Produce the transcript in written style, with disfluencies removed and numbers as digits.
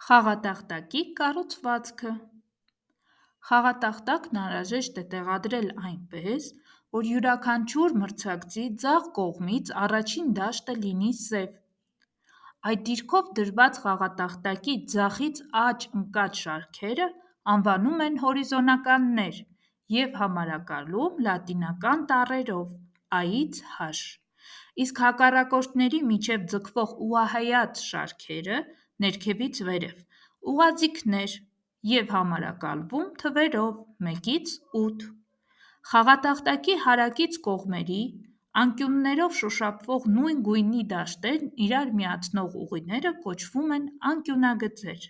Խաղատախտակի կառուցվածքը։ Խաղատախտակն անհրաժեշտ է տեղադրել այնպես, որ յուրաքանչյուր մրցակցի ձախ կողմից առաջին դաշտը լինի սև։ Այդ դիրքով դրված խաղատախտակի ձախից աջ ընկած շարքերը անվանում են հորիզոնականներ և համարակալում լատինական տառերով (I-ից H)։ Իսկ հակառակորդների միջև ձգվող ուղղահայաց շարքերը (ներքևից վերև) ուղաձիգներ և համարակալվում թվերով 1-ից 8։ Խաղատախտակի հարակից կողմերի անկյուններով շոշափվող նույն գույնի դաշտերն իրար միացնող ուղիները կոչվում են անկյունագծեր։